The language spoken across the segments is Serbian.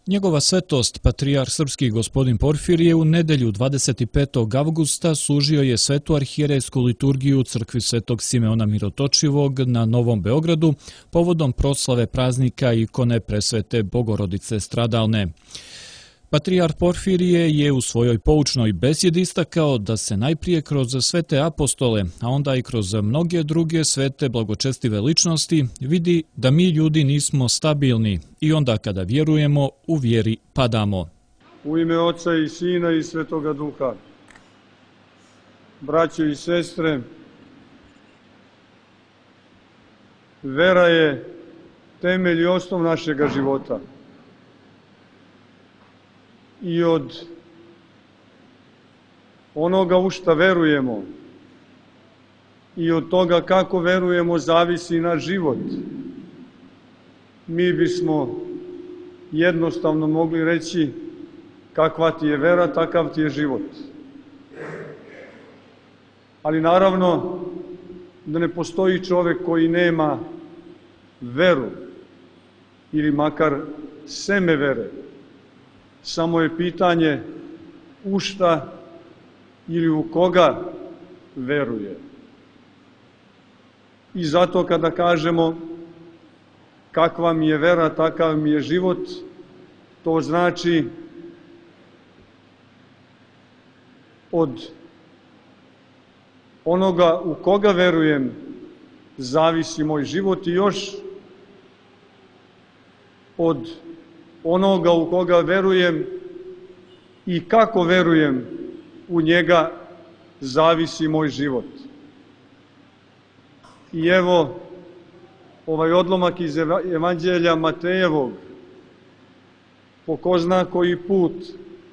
Njegova svetost, patrijarh srpski gospodin Porfirije, u nedelju 25. avgusta služio je svetu arhijerejsku liturgiju u crkvi Svetog Simeona Mirotočivog na Novom Beogradu povodom proslave praznika ikone Presvete Bogorodice stradalne. Patrijarh Porfirije je u svojoj poučnoj besjedi istakao da se najprije kroz svete apostole, a onda i kroz mnoge druge svete blagočestive ličnosti vidi da mi ljudi nismo stabilni i onda kada vjerujemo, u vjeri padamo. U ime Oca i Sina i Svetoga Duha, braćo i sestre, vera je temelj i osnov našega života. I od onoga u šta verujemo i od toga kako verujemo zavisi naš život. Mi bismo jednostavno mogli reći kakva ti je vera, takav ti je život. Ali naravno da ne postoji čovjek koji nema veru ili makar seme vere. Samo je pitanje u šta ili u koga veruje. I zato kada kažemo kakva mi je vera, takav mi je život, to znači od onoga u koga verujem zavisi moj život i još od onoga u koga verujem i kako verujem u njega zavisi moj život. I evo ovaj odlomak iz Evanđelja Matejevog po ko zna koji put,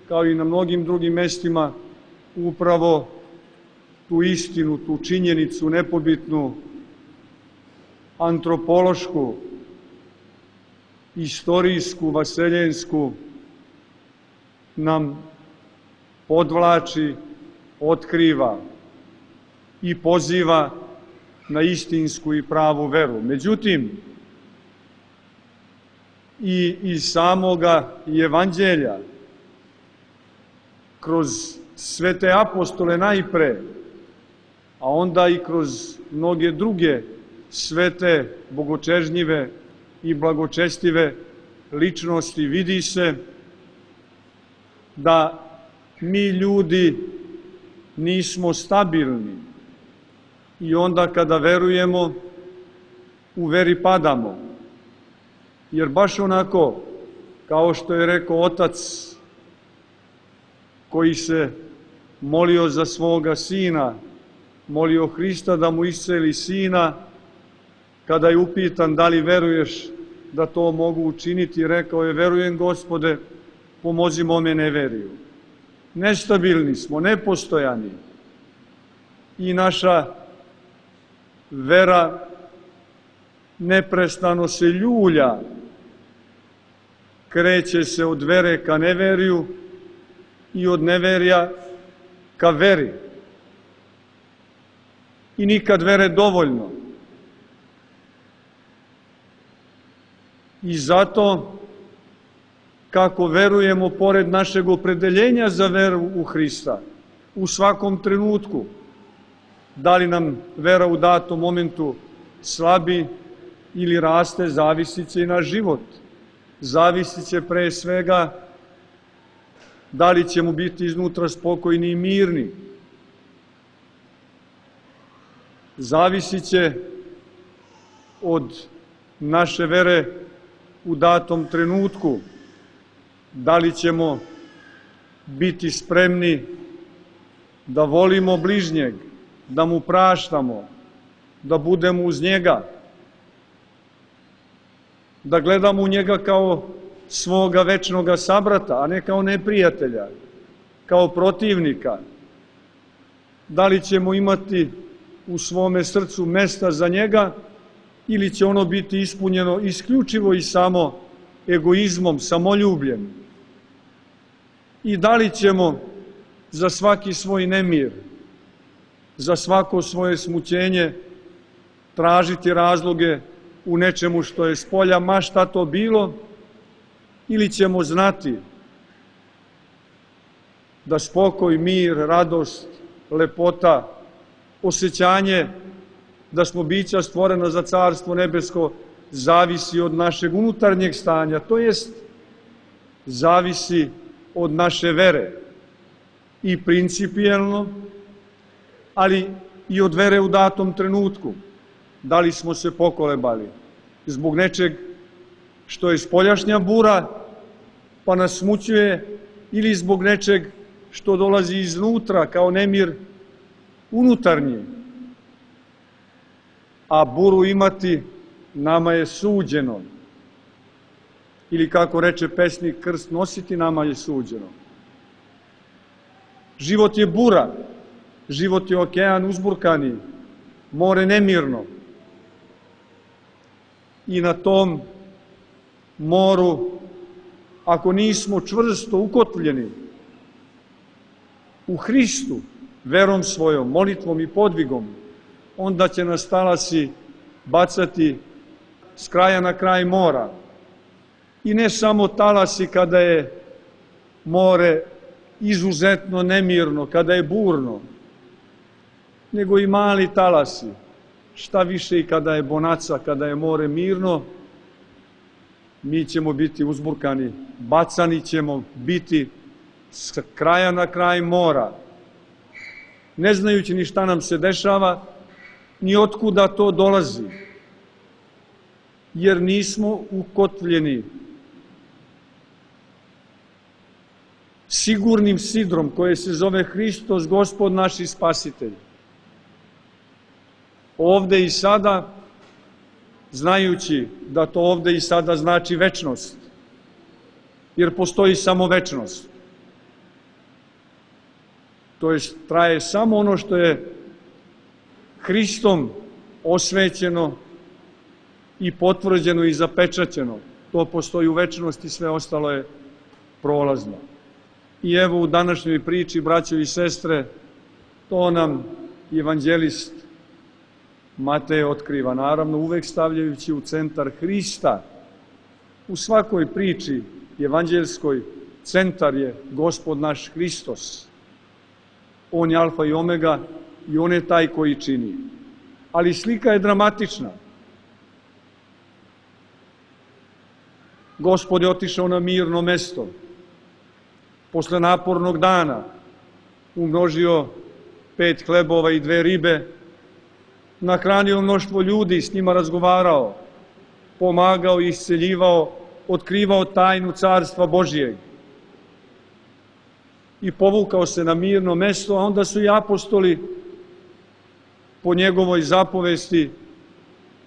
kao i na mnogim drugim mestima, upravo tu istinu, tu činjenicu nepobitnu, antropološku, istorijsku, vaseljensku nam podvlači, otkriva i poziva na istinsku i pravu veru. Međutim, i iz samoga Evanđelja, kroz svete apostole najpre, a onda i kroz mnoge druge svete, bogočežnjive i blagočestive ličnosti vidi se da mi ljudi nismo stabilni i onda kada verujemo, u veri padamo. Jer baš onako, kao što je rekao otac koji se molio za svoga sina, molio Hrista da mu isceli sina, kada je upitan da li veruješ da to mogu učiniti, rekao je: verujem, Gospode, pomozi mome neveriju. Nestabilni smo, nepostojani i naša vera neprestano se ljulja, kreće se od vere ka neveriju i od neverja ka veri. I nikad vere dovoljno. I zato, kako verujemo pored našeg opredeljenja za veru u Hrista, u svakom trenutku, da li nam vera u datom momentu slabi ili raste, zavisit će i naš život. Zavisit će pre svega da li ćemo biti iznutra spokojni i mirni. Zavisit će od naše vere u datom trenutku, da li ćemo biti spremni da volimo bližnjeg, da mu praštamo, da budemo uz njega, da gledamo u njega kao svoga večnoga sabrata, a ne kao neprijatelja, kao protivnika. Da li ćemo imati u svome srcu mesta za njega ili će ono biti ispunjeno isključivo i samo egoizmom, samoljubljem? I da li ćemo za svaki svoj nemir, za svako svoje smućenje tražiti razloge u nečemu što je spolja, ma šta to bilo, ili ćemo znati da spokoj, mir, radost, lepota, osjećanje da smo bića stvorena za Carstvo nebesko zavisi od našeg unutarnjeg stanja, to jest zavisi od naše vere i principijelno, ali i od vere u datom trenutku. Da li smo se pokolebali zbog nečeg što je spoljašnja bura pa nas smućuje, ili zbog nečeg što dolazi iznutra kao nemir unutarnji. A buru imati nama je suđeno. Ili kako reče pesnik, krst nositi nama je suđeno. Život je bura, život je okean uzburkani, more nemirno. I na tom moru, ako nismo čvrsto ukotvljeni u Hristu, verom svojom, molitvom i podvigom, onda će nas talasi bacati s kraja na kraj mora. I ne samo talasi kada je more izuzetno nemirno, kada je burno, nego i mali talasi. Šta više i kada je bonaca, kada je more mirno, mi ćemo biti uzburkani, bacani ćemo biti s kraja na kraj mora, ne znajući ni šta nam se dešava, ni otkuda to dolazi, jer nismo ukotvljeni sigurnim sidrom koje se zove Hristos, Gospod naš i Spasitelj. Ovde i sada, znajući da to ovde i sada znači večnost, jer postoji samo večnost. To je, traje samo ono što je Hristom osvećeno i potvrđeno i zapečaćeno. To postoji u večnosti, sve ostalo je prolazno. I evo u današnjoj priči, braćo i sestre, to nam evanđelist Matej otkriva, naravno uvek stavljajući u centar Hrista. U svakoj priči evanđelskoj centar je Gospod naš Hristos. On je alfa i omega i on je taj koji čini. Ali slika je dramatična. Gospod je otišao na mirno mesto. Posle napornog dana umnožio 5 hlebova i 2 ribe, nahranio mnoštvo ljudi, s njima razgovarao, pomagao, isceljivao, otkrivao tajnu Carstva Božijeg. I povukao se na mirno mesto, a onda su i apostoli po njegovoj zapovesti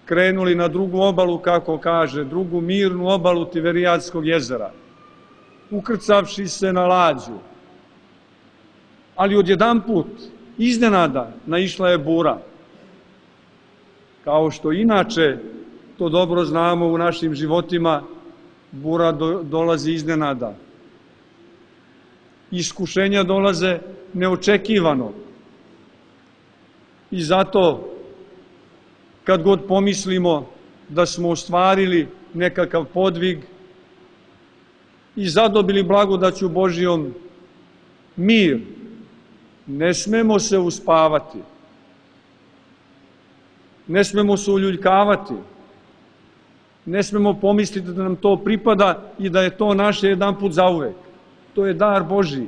krenuli na drugu obalu, kako kaže, drugu mirnu obalu Tiberijadskog jezera, ukrcavši se na lađu. Ali odjedanput, iznenada, naišla je bura. Kao što inače, to dobro znamo u našim životima, bura dolazi iznenada. Iskušenja dolaze neočekivano. I zato, kad god pomislimo da smo ostvarili nekakav podvig i zadobili blagodaću Božijom mir, ne smemo se uspavati, ne smemo se uljuljkavati, ne smemo pomisliti da nam to pripada i da je to naše jedanput zauvek. To je dar Božiji.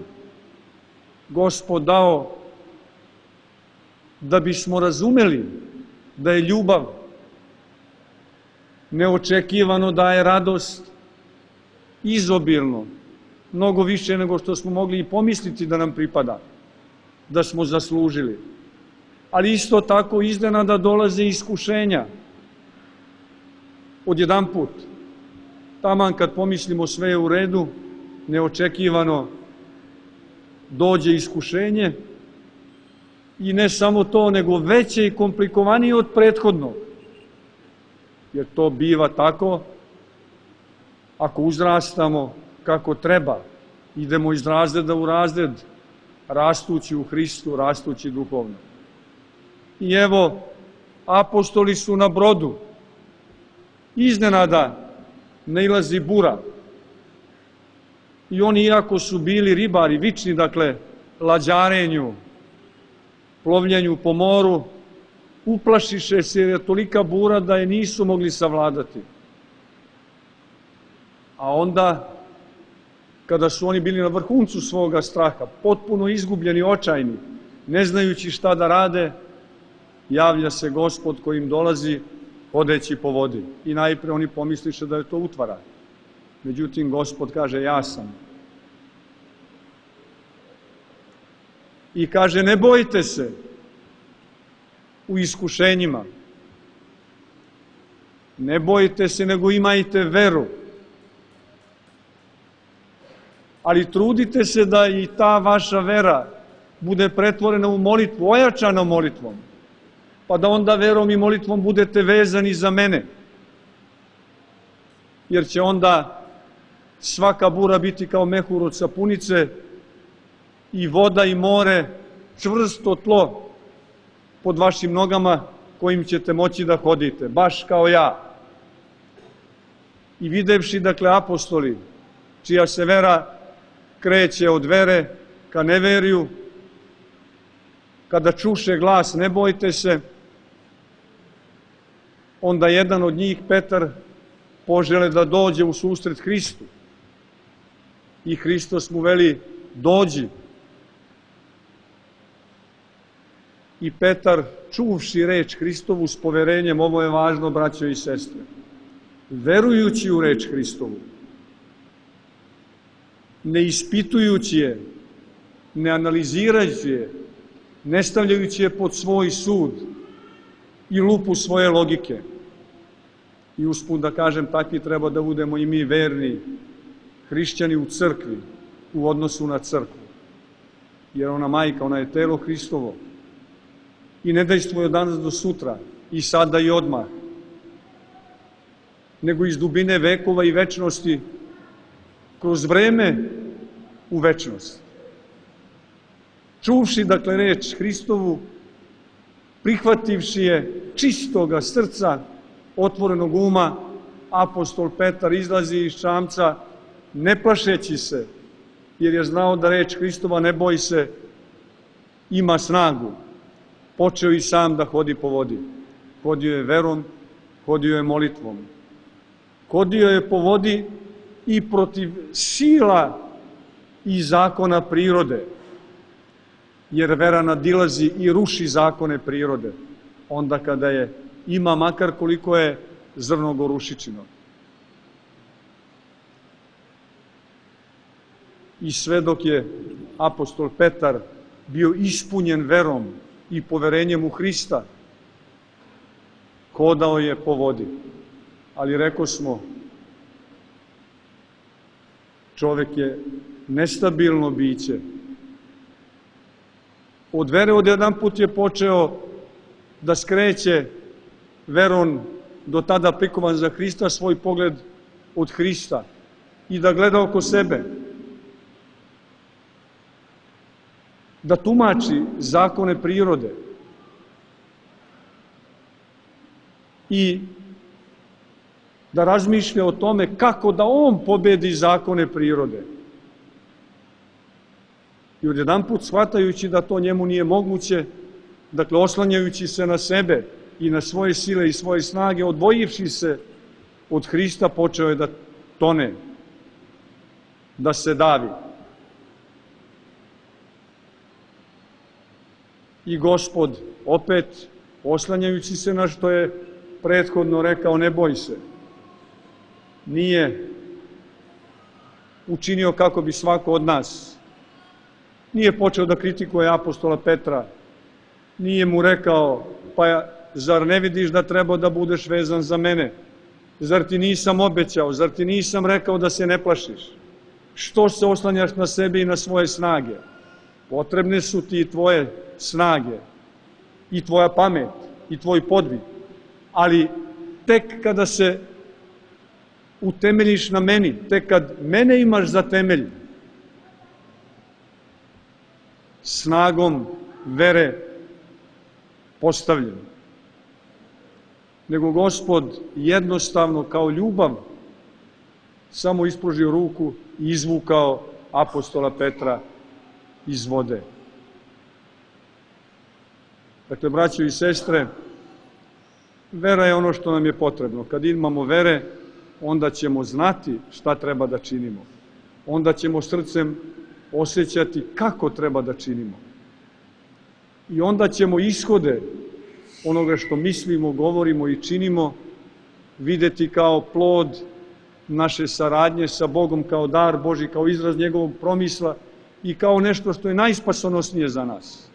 Gospod dao da bismo razumeli da je ljubav neočekivano daje radost izobilno, mnogo više nego što smo mogli i pomisliti da nam pripada, da smo zaslužili. Ali isto tako iznenada dolaze iskušenja. Odjedanput, taman kad pomislimo sve je u redu, neočekivano dođe iskušenje i ne samo to, nego veće i komplikovanije od prethodnog. Jer to biva tako ako uzrastamo kako treba, idemo iz razreda u razred, rastući u Hristu, rastući duhovno. I evo, apostoli su na brodu. Iznenada nailazi bura. I oni, iako su bili ribari, vični, dakle, lađarenju, plovljenju po moru, uplašiše se jer je tolika bura da je nisu mogli savladati. A onda, kada su oni bili na vrhuncu svoga straha, potpuno izgubljeni, očajni, ne znajući šta da rade, javlja se Gospod koji im dolazi hodeći po vodi. I najpre oni pomisliše da je to utvara. Međutim, Gospod kaže, ja sam. I kaže, ne bojte se u iskušenjima. Ne bojte se, nego imajte veru. Ali trudite se da i ta vaša vera bude pretvorena u molitvu, ojačana molitvom. Pa da onda verom i molitvom budete vezani za mene. Jer će onda svaka bura biti kao mehur od sapunice i voda i more čvrsto tlo pod vašim nogama kojim ćete moći da hodite, baš kao ja. I videvši, dakle, apostoli, čija se vera kreće od vere ka neveriju, kada čuše glas ne bojte se, onda jedan od njih, Petar, požele da dođe u susret Hristu. I Hristos mu veli, dođi. I Petar, čuvši reč Hristovu s poverenjem, ovo je važno, braćo i sestre, verujući u reč Hristovu, ne ispitujući je, ne analizirajući je, ne stavljajući je pod svoj sud i lupu svoje logike. I usput da kažem, takvi treba da budemo i mi verni hrišćani u crkvi, u odnosu na crkvu. Jer ona majka, ona je telo Hristovo. I ne dejstvuje od danas do sutra, i sada i odmah, nego iz dubine vekova i večnosti, kroz vreme u večnost. Čuvši, dakle, reč Hristovu, prihvativši je čistoga srca, otvorenog uma, apostol Petar izlazi iz čamca, ne plašeći se, jer je znao da reč Hristova, ne boj se, ima snagu. Počeo i sam da hodi po vodi. Hodio je verom, hodio je molitvom. Hodio je po vodi i protiv sila i zakona prirode, jer vera nadilazi i ruši zakone prirode, onda kada je ima makar koliko je zrno gorušičino. I sve dok je apostol Petar bio ispunjen verom i poverenjem u Hrista, hodao je po vodi. Ali rekosmo, čovek je nestabilno biće. Od vere odjedan put je počeo da skreće verom do tada prikovan za Hrista svoj pogled od Hrista i da gleda oko sebe, da tumači zakone prirode i da razmišlja o tome kako da on pobedi zakone prirode. I odjedan put, shvatajući da to njemu nije moguće, dakle, oslanjajući se na sebe i na svoje sile i svoje snage, odvojivši se od Hrista, počeo je da tone, da se davi. I Gospod, opet, oslanjajući se na što je prethodno rekao, ne boj se, nije učinio kako bi svako od nas. Nije počeo da kritikuje apostola Petra, nije mu rekao, pa zar ne vidiš da treba da budeš vezan za mene? Zar ti nisam obećao, zar ti nisam rekao da se ne plašiš? Što se oslanjaš na sebe i na svoje snage? Potrebne su ti tvoje snage i tvoja pamet i tvoj podvig, ali tek kada se utemeljiš na meni, tek kad mene imaš za temelj, snagom vere postavljen. Nego Gospod jednostavno kao ljubav samo ispružio ruku i izvukao apostola Petra iz vode. Dakle, braćo i sestre, vera je ono što nam je potrebno. Kad imamo vere, onda ćemo znati šta treba da činimo. Onda ćemo srcem osjećati kako treba da činimo. I onda ćemo ishode onoga što mislimo, govorimo i činimo videti kao plod naše saradnje sa Bogom, kao dar Božji, kao izraz njegovog promisla i kao nešto što je najspasonosnije za nas.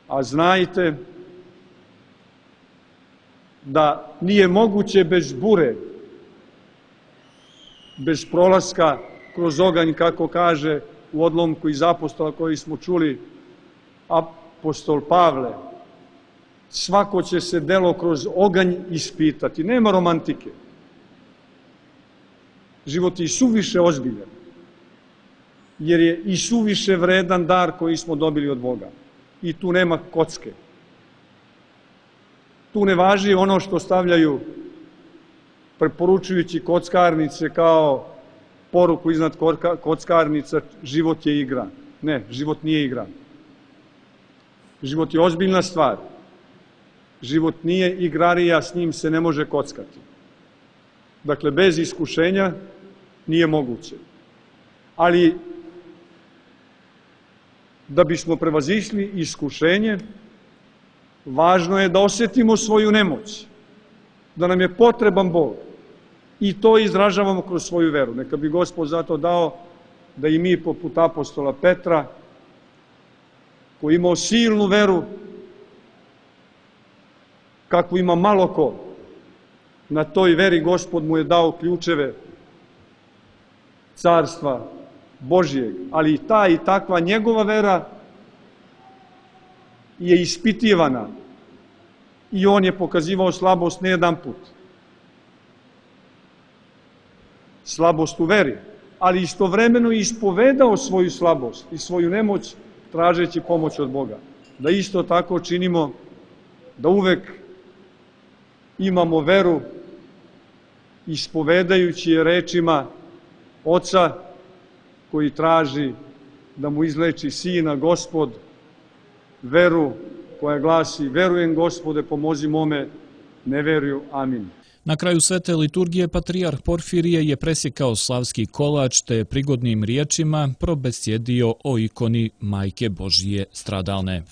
A znajte da nije moguće bez bure, bez prolaska kroz oganj, kako kaže u odlomku iz apostola koji smo čuli apostol Pavle. Svako će se delo kroz oganj ispitati. Nema romantike. Život je i suviše ozbiljan, jer je i suviše vredan dar koji smo dobili od Boga. I tu nema kocke. Tu ne važi ono što stavljaju preporučujući kockarnice kao poruku iznad kockarnica, život je igra. Ne, život nije igra. Život je ozbiljna stvar. Život nije igrarija, s njim se ne može kockati. Dakle, bez iskušenja nije moguće. Ali, da bismo prevazišli iskušenje, važno je da osjetimo svoju nemoć, da nam je potreban Bog i to izražavamo kroz svoju veru. Neka bi Gospod zato dao da i mi poput apostola Petra, koji imao silnu veru, kakvu ima malo ko, na toj veri Gospod mu je dao ključeve carstva Božijeg, ali i ta i takva njegova vera je ispitivana i on je pokazivao slabost ne jedan put. Slabost u veri, ali istovremeno ispovedao svoju slabost i svoju nemoć tražeći pomoć od Boga. Da isto tako činimo, da uvek imamo veru ispovedajući je rečima Oca koji traži da mu izleči Sina Gospod, veru koja glasi: verujem Gospode, pomozi mome neverju. Amin. Na kraju svete liturgije patrijarh Porfirije je presjekao slavski kolač te prigodnim riječima probesjedio o ikoni Majke Božije stradalne.